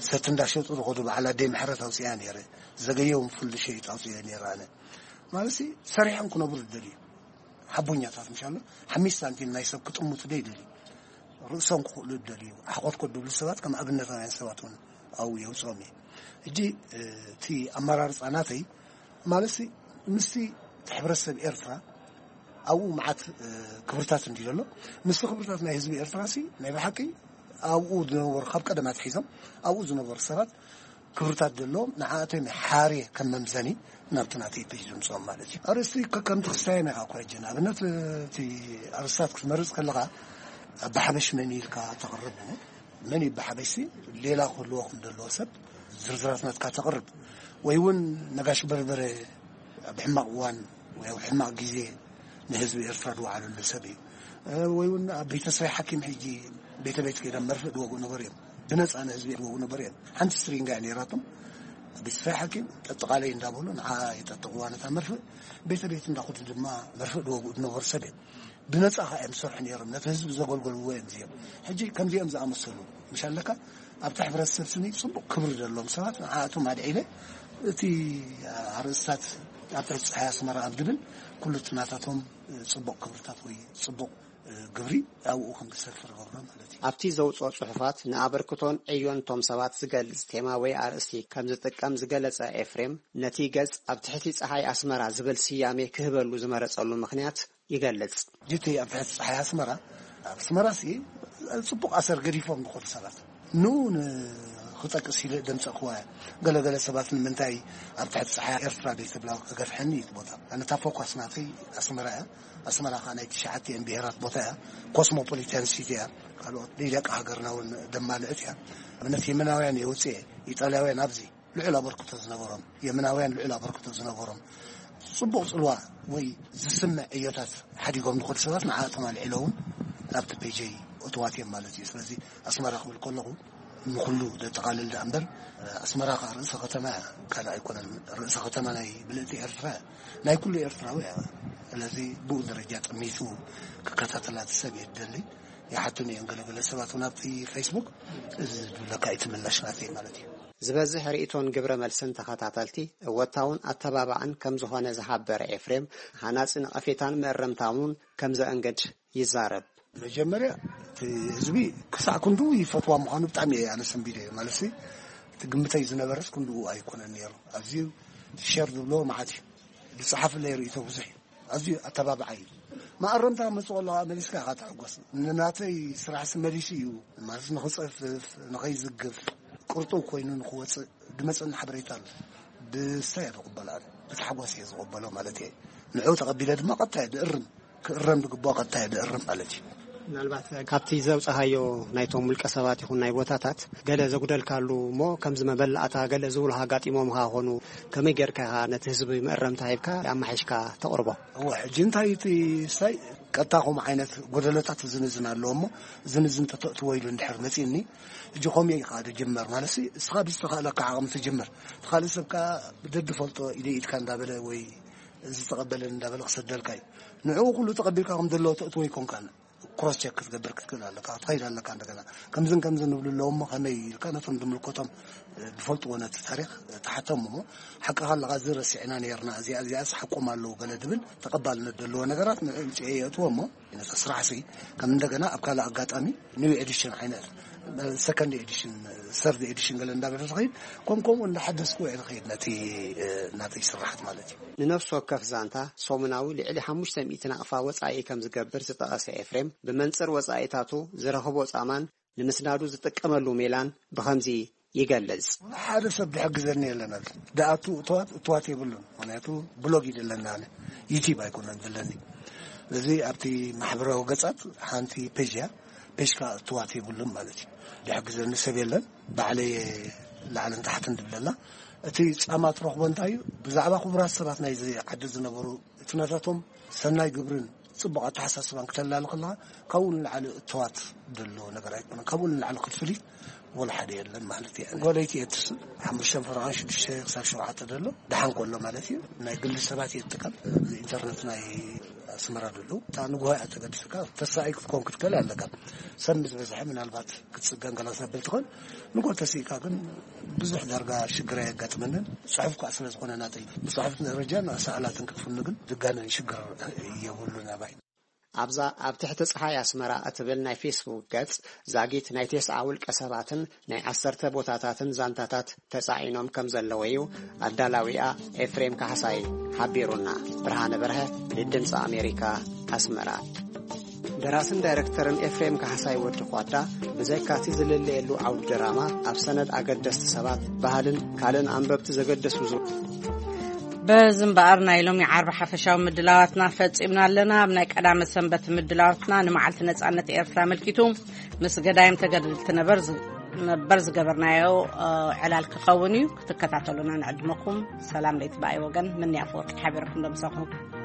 ሰቲ እንዳሸጡ ዝኸዱ፣ በዓል ኣደይ ምሕረት ኣውፅያ ነይረ፣ ዘገየውን ፍሉይ ሸይጥ ኣውፅየ ነይረ ኣነ። ማለት ሲ፣ ሰሪሖም ክነብሩ ዝደልዩ ሓቦኛታት፣ ምሻሎ ሓሚስ ሳንቲም ናይ ሰብ ክጥምቱ ዶ ይደልዩ? ርእሶም ክኽእሉ ዝደልዩ፣ ሓኾት ከድብሉ ሰባት ከም ኣብነታውያን ሰባት እውን ኣብኡ የውፅኦም እየ። ሕጂ፣ እ፣ እቲ ኣመራርፃ ናተይ፣ ማለት ሲ፣ ምስቲ ሕብረተሰብ ኤርትራ ኣብኡ መዓት፣ እ፣ ክብርታት እንድዩ ዘሎ። ምስቲ ክብርታት ናይ ህዝቢ ኤርትራ ሲ፣ ናይ ብሓቂ ኣብኡ ዝነበሩ፣ ካብ ቀደም ኣትሒዞም ኣብኡ ዝነበሩ ሰባት ክብርታት ዘለዎም፣ ንዓኣቶም ሓርየ ከም መምዘኒ ናብቲ ናተይ ፔጅ ዝምፅኦም ማለት እዩ። ኣርእስቲ ከ-፣ ከምቲ ክስታየና ኢኻ እኮ ሕጂ። ንኣብነት፣ እቲ ኣርእስታት ክትመርጽ ከለኻ፣ ኣባ ሓበሽ መን ኢልካ ተቕርብ እሞ፣ መን እዩ ብሓበሽሲ ሌላ ክህልዎ ከም ዘለዎ ሰብ ዝርዝራት ናትካ ተቕርብ፣ ወይ እውን ነጋሽ በርበረ ኣብ ሕማቕ እዋን ወይ ኣብ ሕማቕ ግዜ ንህዝቢ ኤርትራ ዝወዓለሉ ሰብ እዩ። እ፣ ወይ እውን ኣብ ቤተሰብ ሓኪም ሕጂ ቤተ ቤት ከይዶም መርፍእ ዝወግኡ ነበሩ እዮም። ብነፃ ንህዝቢ ዝወግኡ ነበሩ እዮም። ሓንቲ ስትሪንጋ እያ ነይራቶም። ኣብ ቤተሰብ ሓኪም ጠጥቓለይ እንዳበሉ ንዓ የጠጥቕዋ ነታ መርፍእ። ቤተ ቤት እንዳኸዱ ድማ መርፍእ ዝወግኡ ዝነበሩ ሰብ እዮም። ብነፃ ከዓ እዮም ዝሰርሑ ነይሮም። ነቲ ህዝቢ ዘገልገልዎ እዮም እዚኦም። ሕጂ ከምዚኦም ዝኣመሰሉ ምሽ ኣለካ ኣብቲ ሕብረተሰብ ስኒ ፅቡቕ ክብሪ ዘለዎም ሰባት ንዓኣቶም ኣድዒለ እቲ ኣርእስታት ኣብ ትሕቲ ፀሓይ ኣስመራ ኣብ ድብል ኩሉ እቲ ናታቶም ፅቡቕ ክብርታት ወይ ፅቡቕ ግብሪ ኣብኡ ከም ዝሰፍር ገብሮ ማለት እዩ። ኣብቲ ዘውፅኦ ፅሑፋት ንኣበርክቶን ዕዮን እቶም ሰባት ዝገልፅ ቴማ ወይ ኣርእስቲ ከም ዝጥቀም ዝገለፀ ኤፍሬም፣ ነቲ ገፅ ኣብ ትሕቲ ፀሓይ ኣስመራ ዝብል ስያሜ ክህበሉ ዝመረፀሉ ምኽንያት ይገልጽ። ጅቲ ኣብ ትሕቲ ፀሓይ ኣስመራ፣ ኣብ ኣስመራ ሲ ፅቡቕ ኣሰር ገዲፎም ዝኾኑ ሰባት ንኡ ንክጠቅስ ኢለ ደምፀእክዋ እያ። ገለገለ ሰባት ንምንታይ ኣብ ትሕቲ ፀሓይ ኤርትራ ዘይትብላ ክገፍሐኒ እዩ እቲ ቦታ። ኣነ እታ ፎኳስ ናተይ ኣስመራ እያ። ኣስመራ ከዓ ናይ ትሽዓቲኤን ብሄራት ቦታ እያ። ኮስሞፖሊታን ሲቲ እያ። ካልኦት ደቂ ሃገርና እውን ደማልእት እያ። ኣብነት የመናውያን የውፅኤ፣ ኢጣልያውያን ኣብዚ ልዑል ኣበርክቶ ዝነበሮም፣ የመናውያን ልዑል ኣበርክቶ ዝነበሮም፣ ጽቡቕ ጽልዋ ወይ ዝስምዕ ዕዮታት ሓዲጎም ንኸዱ ሰባት ንዓኣቶም ኣልዒለ እውን ኣብቲ ፔጀይ እትዋት እዮም ማለት እዩ። ስለዚ ኣስመራ ክብል ከለኹ ንኹሉ ዘጠቓልል ደኣ እምበር፣ ኣስመራ ከዓ ርእሰ ከተማ እያ፣ ካልእ ኣይኮነን። ርእሰ ከተማ ናይ ምልእቲ ኤርትራ እያ፣ ናይ ኩሉ ኤርትራዊ እያ። ስለዚ ብኡ ደረጃ ጠሚቱ ክከታተላ እቲ ሰብ እየ ዝደሊ። ይሓቱኒ እዮም ገለገለ ሰባት እውን ኣብቲ ፌስቡክ፣ እዚ ዝብለካ ኣይትምላሽ ናተይ ማለት እዩ። ዝበዝሕ ርእይቶን ግብረ መልስን ተኸታተልቲ እወታውን ኣተባባዕን ከም ዝኾነ ዝሓበረ ኤፍሬም፣ ሃናጺ ነቐፌታን መእረምታን እውን ከም ዘእንግድ ይዛረብ። መጀመርያ እቲ ህዝቢ ክሳዕ ክንድኡ ይፈትዋ ምዃኑ ብጣዕሚ እየ ኣነ ሰንቢደ እየ። ማለትሲ እቲ ግምተይ ዝነበረስ ክንድኡ ኣይኮነን ነይሩ። ኣዝዩ ሸር ዝብሎ መዓት እዩ። ዝጸሓፍለይ ርእይቶ ብዙሕ እዩ። ኣዝዩ ኣተባብዓይ እዩ። መኣረምታ መጽእ ከሎ ከዓ መሊስካ ኢኻ ትሕጎስ። ንናተይ ስራሕሲ መሊሱ እዩ ማለት ንኽጽፍፍ፣ ንኸይዝግፍ፣ ቅርጡው ኮይኑ ንኽወጽእ ዝመጸኒ ሓበሬታ ኣሎ። ብስታይ እየ ዝቕበሎ ኣነ። ብታሕጓስ እየ ዝቕበሎ ማለት እየ። ንዕኡ ተቐቢለ ድማ ቀጥታ እየ ዝእርም። ክእረም ዝግብኦ ቀጥታ እየ ዝእርም ማለት እዩ። ምናልባት ካብቲ ዘውጻኻዮ ናይቶም ውልቀ ሰባት ይኹን ናይ ቦታታት ገለ ዘጉደልካሉ እሞ ከምዚ መበላእታ ገለ ዝብሉ ኣጋጢሞምኻ ኾኑ ከመይ ጌርካ ኢኻ ነቲ ህዝቢ መእረምታ ሂብካ ኣማሒሽካ ተቕርቦ? እወ፣ ሕጂ እንታይ እቲ ሳይ ቀጥታ ከምኡ ዓይነት ጎደሎታት ዝንዝን ኣለዎ እሞ ዝንዝን ተተእትዎ ኢሉ እንድሕር መጺእኒ፣ ሕጂ ከምኡ ኢኻ ትጅመር ማለት ሲ፣ እስኻ ብዝተኻእለካ ዓቕሚ ትጅምር። እቲ ካልእ ሰብ ከኣ ብደድፈልጦ ኢደ ኢድካ እንዳበለ ወይ እዚ ተቐበለኒ እንዳበለ ክሰደልካ እዩ። ንዕኡ ኩሉ ተቐቢልካ ከም ዘለዎ ተእትዎ ኣይኮንካን። ክሮስ ቸክ ክትገብር ክትክእል ኣለካ፣ ክትኸይድ ኣለካ። እንደገና ከምዝን ከምዝን ንብሉ ኣለዉ እሞ ከመይ ኢልካ ነቶም ዝምልከቶም፣ እ፣ ዝፈልጥዎ ነቲ ታሪኽ፣ እ፣ ትሓቶም እሞ ሓቅኻ ኣለኻ፣ እዚ ረሲዕና ነይርና፣ እዚኣ እዚኣስ ሓቆም ኣለዉ ገለ ዝብል ተቐባልነት ዘለዎ ነገራት ንዕኡ ምፅኤ የእትዎ እሞ ነቲ ስራሕሲ ከም እንደገና ኣብ ካልእ ኣጋጣሚ ኒው ኤዲሽን ዓይነት፣ እ፣ ሰከንድ ኤዲሽን፣ ሰርድ ኤዲሽን ገለ እንዳበለ ዝኸይድ ከም ከምኡ እንዳሓደስኩ እየ ዝኸይድ ነቲ፣ እ፣ ናተይ ስራሓት ማለት እዩ። ንነፍሲ ወከፍ ዛንታ ሰሙናዊ ልዕሊ ሓሙሽተ ሚእቲ ናቕፋ ወጻኢ ከም ዝገብር ዝጠቐሰ ኤፍሬም፣ ብመንጽር ወጻኢታቱ ዝረኽቦ ጻማን ንምስናዱ ዝጥቀመሉ ሜላን ብኸምዚ ይገልጽ። ሓደ ሰብ ዝሕግዘኒ የለን። ኣብዚ ዝኣቱ እትዋት፣ እትዋት የብሉን። ምኽንያቱ ብሎግ እዩ ዘለኒ ኣነ። ዩቲዩብ ኣይኮነን ዘለኒ። ስለዚ ኣብቲ ማሕበራዊ ገጻት ሓንቲ ፔጅ እያ። ፔጅ ከኣ እትዋት የብሉን ማለት እዩ። ዝሕግዘኒ ሰብ የለን። ባዕለይ ላዕልን ታሕትን ዝብለላ። እቲ ጻማ ትረኽቦ እንታይ እዩ? ብዛዕባ ክቡራት ሰባት ናይዚ ዓዲ ዝነበሩ እቲ ናታቶም ሰናይ ግብርን ጽቡቕ ኣተሓሳስባን ክተላሊ ከለኻ ካብኡ ንላዕሊ እተዋት ዘሎ ነገር ኣይኮነን። ካብኡ ንላዕሊ ክትፍሊት ወላ ሓደ የለን ማለት እዩ። ጎለይቲ እየ ትስእ ሓሙሽተ ፈረቓን ሽዱሽተ ክሳብ ሸውዓተ ዘሎ ደሓን ከሎ ማለት እዩ። ናይ ግሊ ሰባት እየ ትጥቀም። ኢንተርነት ናይ ኣስመራ ዘሎ እታ ንግሆ እያ ተገድስካ ተሳኢ ክትኮን ክትክእል ኣለካ። ሰብ ምስ በዝሐ ምናልባት ክትጽገን ገላ ሰብ ትኾን። ንግሆ ተስኢካ ግን ብዙሕ ዳርጋ ሽግር ኣየጋጥመንን። ጽሑፍ ከኣ ስለ ዝኾነ ናተይ ብጽሑፍ ደረጃን ኣሳእላትን ክትፍኑ ግን ዝጋነን ሽግር የብሉን ኣባይ። ኣብዛ ኣብ ትሕቲ ጸሓይ ኣስመራ እትብል ናይ ፌስቡክ ገጽ ዛጊት ናይ ተስዓ ውልቀ ሰባትን ናይ ዓሰርተ ቦታታትን ዛንታታት ተጻዒኖም ከም ዘለዉ እዩ ኣዳላዊኣ ኤፍሬም ካሕሳይ ሓቢሩና። ብርሃነ በርሀ ንድምፂ ኣሜሪካ ኣስመራ። ደራስን ዳይረክተርን ኤፍሬም ካሕሳይ ወዲ ኳዳ ብዘይካቲ ዝልለየሉ ዓውዲ ድራማ ኣብ ሰነድ ኣገደስቲ ሰባት፣ ባህልን ካልእን ኣንበብቲ ዘገደሱ ዙ- እዚ እምበኣር ናይ ሎሚ ዓርቢ ሓፈሻዊ ምድላዋትና ፈጺምና ኣለና። ኣብ ናይ ቀዳመ ሰንበት ምድላዋትና ንመዓልቲ ነጻነት ኤርትራ ኣመልኪቱ ምስ ገዳይም ተገድልቲ ነበር ዝ- ነበር ዝገበርናዮ እ፣ ዕላል ክኸውን እዩ። ክትከታተሉና ንዕድመኩም። ሰላም ለይቲ ብኣይ ወገን ምንያ ኣፈወርቂ ሓቢረኩም ደምሰኹ።